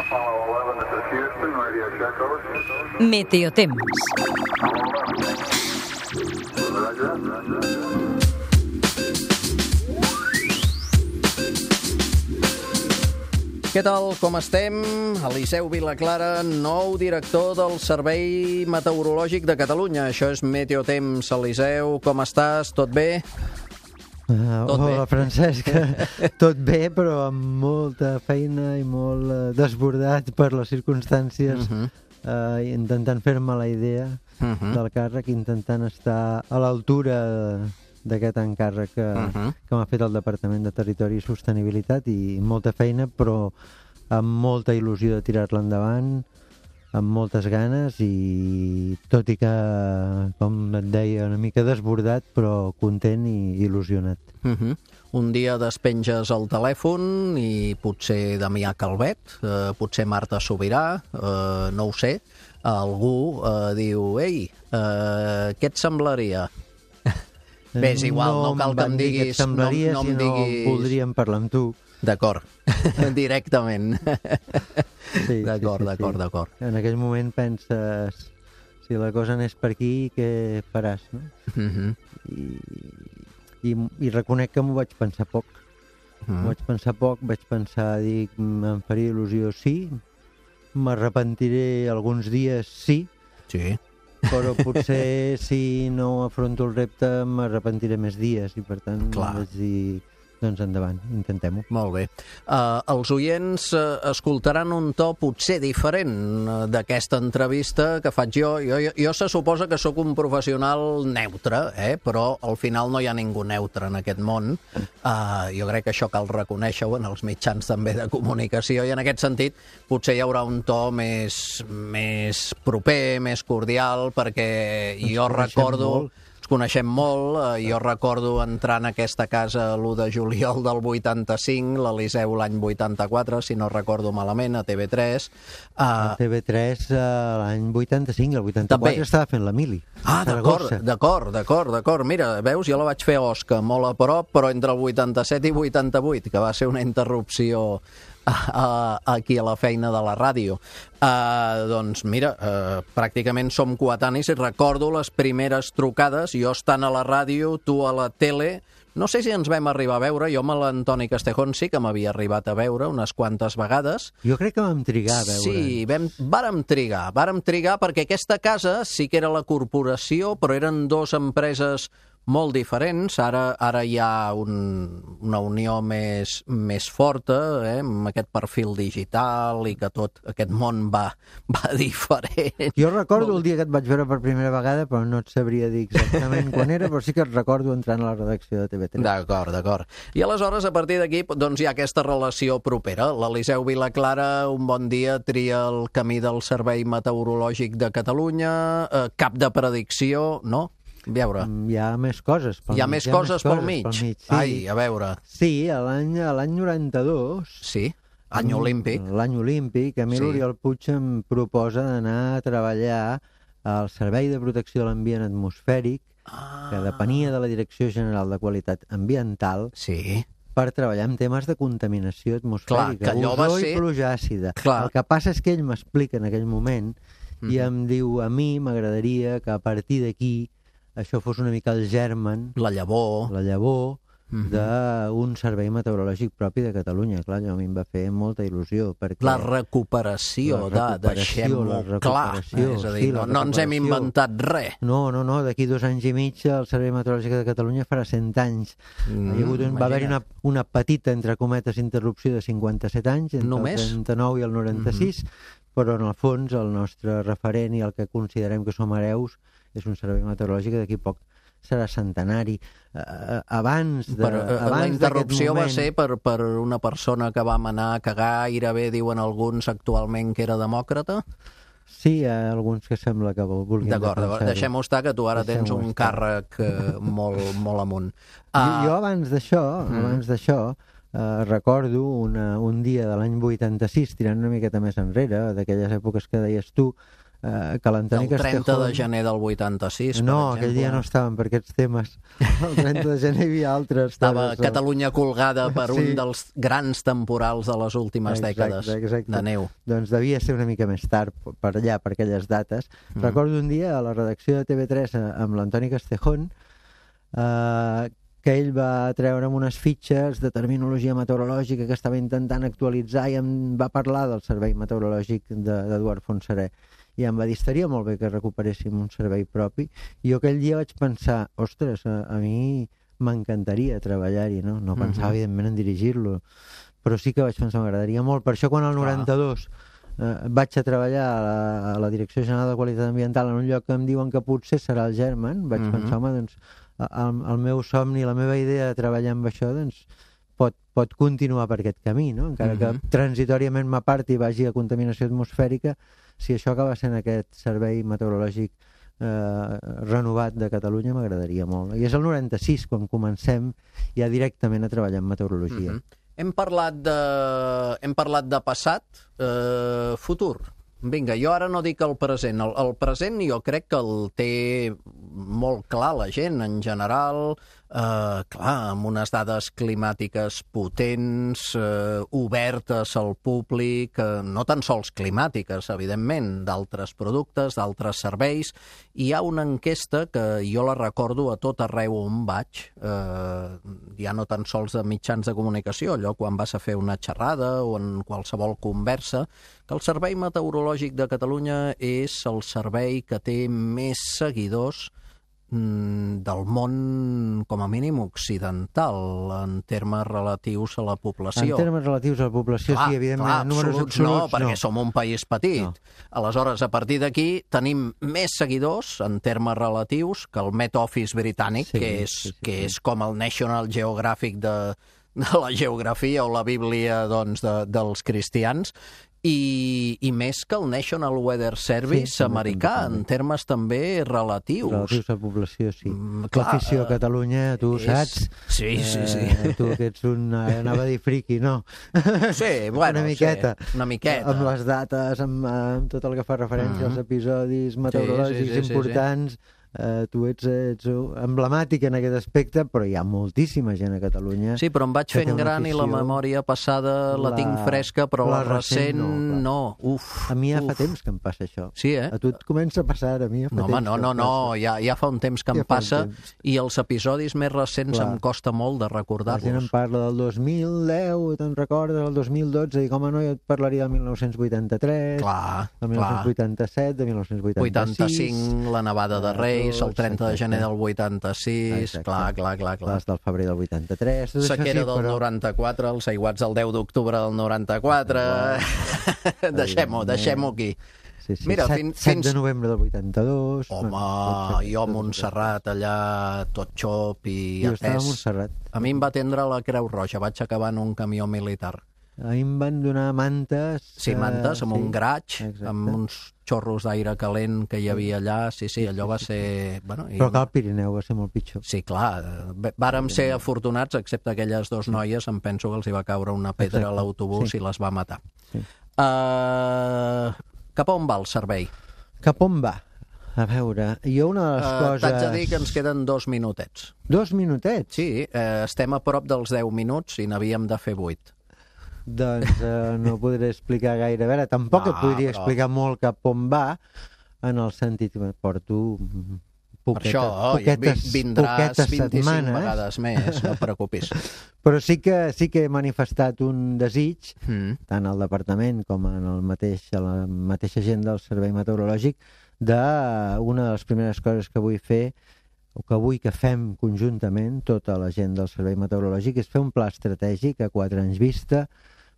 Apollo 11, this is Houston, radio check over. Meteotemps. Roger. Què tal, com estem? Eliseu Vilaclara, nou director del Servei Meteorològic de Catalunya. Això és Meteotemps. Eliseu, com estàs? Tot bé? Tot bé. Hola, Francesc. Tot bé, però amb molta feina i molt desbordat per les circumstàncies, intentant fer-me la idea del càrrec, intentant estar a l'altura d'aquest encàrrec que m'ha fet el Departament de Territori i Sostenibilitat, i molta feina, però amb molta il·lusió de tirar-la endavant, amb moltes ganes, i tot i que, com et deia, una mica desbordat, però content i il·lusionat. Un dia despenges el telèfon i potser Damià Calvet, potser Marta Sobirà, no ho sé, algú diu: ei, què et semblaria? Bé, és igual, no cal que em diguis... No em diguis... voldríem parlar amb tu. D'acord, directament. Sí, d'acord. En aquell moment penses, si la cosa anés per aquí, què faràs, no? I reconec que m'ho vaig pensar poc. Vaig pensar, dic, em faria il·lusió, sí, m'arrepentiré alguns dies, sí, però potser si no afronto el repte m'arrepentiré més dies, i per tant vaig dir, doncs endavant, intentem-ho. Molt bé. Els oients escoltaran un to potser diferent d'aquesta entrevista que faig jo. Jo se suposa que sóc un professional neutre, però al final no hi ha ningú neutre en aquest món. Jo crec que això cal reconèixer-ho en els mitjans també de comunicació, i en aquest sentit potser hi haurà un to més proper, més cordial, perquè jo recordo... Ens coneixem molt, jo recordo entrar en aquesta casa l'1 de juliol del 85, l'Eliseu l'any 84, si no recordo malament, a TV3. A TV3 l'any 85, el 84 també estava fent la mili. D'acord. Mira, veus, jo la vaig fer a Osca, molt a prop, però entre el 87 i 88, que va ser una interrupció aquí a la feina de la ràdio. Doncs mira, pràcticament som coetanis, i recordo les primeres trucades, jo estant a la ràdio, tu a la tele. No sé si ens vam arribar a veure, jo amb l'Antoni Castejón sí que m'havia arribat a veure unes quantes vegades. Jo crec que vam trigar a veure. Sí, vàrem trigar perquè aquesta casa sí que era la corporació, però eren dues empreses molt diferents. Ara hi ha una unió més forta, amb aquest perfil digital, i que tot aquest món va diferent. Jo recordo el dia que et vaig veure per primera vegada, però no et sabria dir exactament quan era, però sí que et recordo entrant a la redacció de TV3. D'acord. I aleshores, a partir d'aquí, doncs hi ha aquesta relació propera. L'Eliseu Vilaclara un bon dia tria el camí del Servei Meteorològic de Catalunya, cap de predicció, no? A veure. Hi ha més coses pel mig. Hi ha més coses pel mig? Sí. Ai, a veure. Sí, l'any 92... Sí, any olímpic. L'any olímpic, a mi l'Oriol Puig em proposa d'anar a treballar al Servei de Protecció de l'Ambient Atmosfèric, que depenia de la Direcció General de Qualitat Ambiental, per treballar en temes de contaminació atmosfèrica, ozó i pluja àcida. El que passa és que ell m'explica en aquell moment i em diu, a mi m'agradaria que a partir d'aquí això fos una mica el germen, la llavor d'un servei meteorològic propi de Catalunya. Clar, a mi em va fer molta il·lusió. La recuperació, deixem-ho clar. És a dir, no ens hem inventat res. No, d'aquí 2 anys i mig el Servei Meteorològic de Catalunya farà 100 anys. Va haver-hi una petita, entre cometes, interrupció de 57 anys, entre el 39 i el 96, però en el fons el nostre referent i el que considerem que som hereus és un servei meteorològic que d'aquí poc serà centenari. La interrupció va ser per una persona que vam anar a cagar, gairebé diuen alguns actualment que era demòcrata? Sí, hi ha alguns que sembla que vulguin defensar-ho. D'acord, deixem-ho estar, que tu ara tens un càrrec molt amunt. Jo abans d'això recordo un dia de l'any 86, tirant una miqueta més enrere, d'aquelles èpoques que deies tu, que l'Antoni Castejón... El 30 de Castejón... gener del 86, no, per exemple. aquell dia no estàvem per aquests temes. El 30 de gener hi havia altres. Estava Catalunya colgada per un dels grans temporals de les últimes dècades de neu. Doncs devia ser una mica més tard per allà, per aquelles dates. Recordo un dia a la redacció de TV3 amb l'Antoni Castejón que ell va treure'm unes fitxes de terminologia meteorològica que estava intentant actualitzar i em va parlar del servei meteorològic d'Eduard Fontserè. I em va dir, estaria molt bé que recuperéssim un servei propi. I jo aquell dia vaig pensar, ostres, a mi m'encantaria treballar-hi, no? No pensava, evidentment, en dirigir-lo, però sí que vaig pensar, m'agradaria molt. Per això, quan al 92 vaig a treballar a la Direcció General de Qualitat Ambiental en un lloc que em diuen que potser serà el Germen, vaig pensar, home, doncs, el meu somni, la meva idea de treballar amb això, doncs, pot continuar per aquest camí, no? Encara que transitoriament m'aparti i vagi a contaminació atmosfèrica, si això acaba sent aquest servei meteorològic renovat de Catalunya, m'agradaria molt. I és el 96 quan comencem ja directament a treballar en meteorologia. Hem parlat de passat, futur. Vinga, jo ara no dic el present. El present jo crec que el té molt clar la gent en general, amb unes dades climàtiques potents, obertes al públic, no tan sols climàtiques, evidentment, d'altres productes, d'altres serveis. Hi ha una enquesta que jo la recordo a tot arreu on vaig, ja no tan sols de mitjans de comunicació, allò quan vas a fer una xerrada o en qualsevol conversa, que el Servei Meteorològic de Catalunya és el servei que té més seguidors del món, com a mínim, occidental, en termes relatius a la població. En termes relatius a la població, sí, evidentment. Números absoluts no, perquè som un país petit. Aleshores, a partir d'aquí, tenim més seguidors, en termes relatius, que el Met Office britànic, que és com el National Geographic de la geografia o la Bíblia dels cristians, i més que el National Weather Service americà, en termes també relatius. Relatius a la població, sí. L'afició a Catalunya, tu saps? Sí. Tu que ets anava a dir friqui, no? Sí, bueno, una miqueta. Una miqueta. Amb les dates, amb tot el que fa referència als episodis meteorològics importants. Tu ets emblemàtic en aquest aspecte, però hi ha moltíssima gent a Catalunya. Sí, però em vaig fent gran i la memòria passada la tinc fresca, però la recent no. A mi ja fa temps que em passa això. Sí, eh? A tu et comença a passar, a mi ja fa temps. No, ja fa un temps que em passa i els episodis més recents em costa molt de recordar-los. La gent em parla del 2010, te'n recordes, del 2012, i com no, jo et parlaria del 1983, del 1987, de 1986... 85, la nevada de Reis, el 30 de gener del 86, clar. Les del febrer del 83... Sequera del 94, els aiguats del 10 d'octubre del 94... Deixem-ho aquí. Mira, 7 de novembre del 82... Home, jo a Montserrat, allà, tot xop i atès. Jo estava a Montserrat. A mi em va atendre la Creu Roja, vaig acabar en un camió militar. A mi em van donar mantes... Sí, mantes, amb un graig, amb uns xorros d'aire calent que hi havia allà. Sí, allò va ser... Però que al Pirineu va ser molt pitjor. Sí, clar. Vàrem ser afortunats, excepte aquelles dues noies, em penso que els hi va caure una pedra a l'autobús i les va matar. Cap on va el servei? Cap on va? A veure, jo una de les coses... T'haig de dir que ens queden 2 minutets. 2 minutets? Sí, estem a prop dels 10 minuts i n'havíem de fer 8. Doncs no podré explicar gaire. A veure, tampoc et podria explicar molt cap on va, en el sentit que porto poquetes vindràs 25 setmanes. Vegades més, no et preocupis. Però sí que he manifestat un desig, tant al departament com en la mateixa gent del Servei Meteorològic, d'una de les primeres coses que vull fer, o que vull que fem conjuntament, tota la gent del Servei Meteorològic, és fer un pla estratègic a 4 anys vista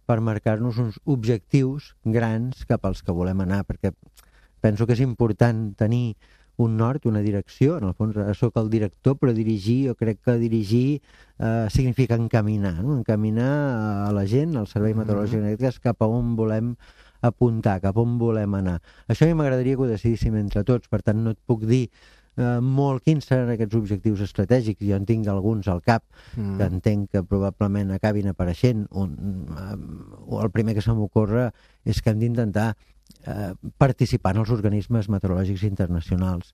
per marcar-nos uns objectius grans cap als que volem anar, perquè penso que és important tenir un nord, una direcció. En el fons soc el director, però dirigir, jo crec que dirigir significa encaminar, no? Encaminar a la gent, al Servei Meteorològic, cap a on volem apuntar, cap on volem anar. Això a mi m'agradaria que ho decidíssim entre tots, per tant no et puc dir molt quins seran aquests objectius estratègics. Jo en tinc alguns al cap que entenc que probablement acabin apareixent. El primer que se m'ocorre és que hem d'intentar participar en els organismes meteorològics internacionals.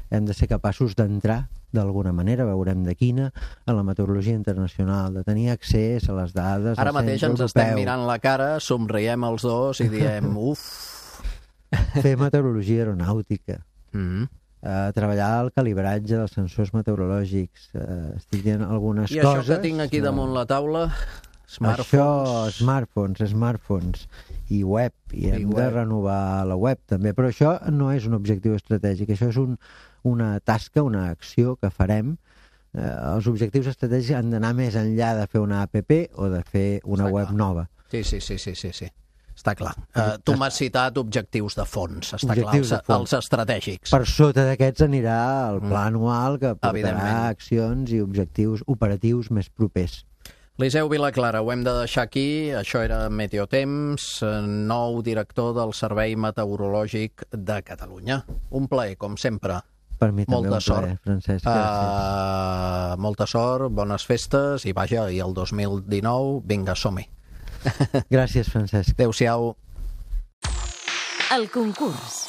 Hem de ser capaços d'entrar d'alguna manera, veurem de quina, a la meteorologia internacional, de tenir accés a les dades. Ara mateix ens estem mirant la cara, somriem els dos i diem, uf! Fer meteorologia aeronàutica, treballar el calibratge dels sensors meteorològics, estic dient algunes coses. I això que tinc aquí damunt la taula? Smartphones i web, i hem de renovar la web també, però això no és un objectiu estratègic, això és una tasca, una acció que farem. Els objectius estratègics han d'anar més enllà de fer una app o de fer una web nova. Sí. Està clar. Tu m'has citat objectius de fons, està clar, els estratègics. Per sota d'aquests anirà el pla anual que portarà accions i objectius operatius més propers. Eliseu Vilaclara, ho hem de deixar aquí. Això era Meteotemps, nou director del Servei Meteorològic de Catalunya. Un plaer, com sempre. Per mi també un plaer, Francesc. Gràcies. Molta sort, bones festes i vaja, i el 2019, vinga, som-hi. Gràcies, Francesc. Adéu-siau. El concurs.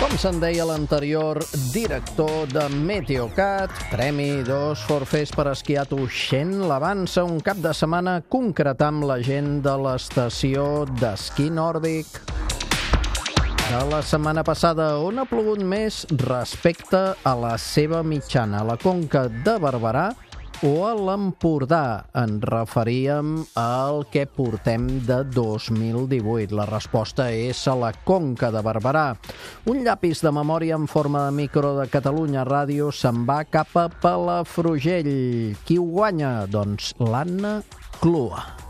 Com se'n deia l'anterior director de Meteocat, Premi 2 Forfers per esquiar a Tuixén, l'avança un cap de setmana concretar amb la gent de l'estació d'esquí nòrdic de la setmana passada, on ha plogut més respecte a la seva mitjana, a la Conca de Barberà o a l'Empordà. Ens referíem al que portem de 2018. La resposta és a la Conca de Barberà. Un llapis de memòria en forma de micro de Catalunya Ràdio se'n va cap a Palafrugell. Qui ho guanya? Doncs l'Anna Clua.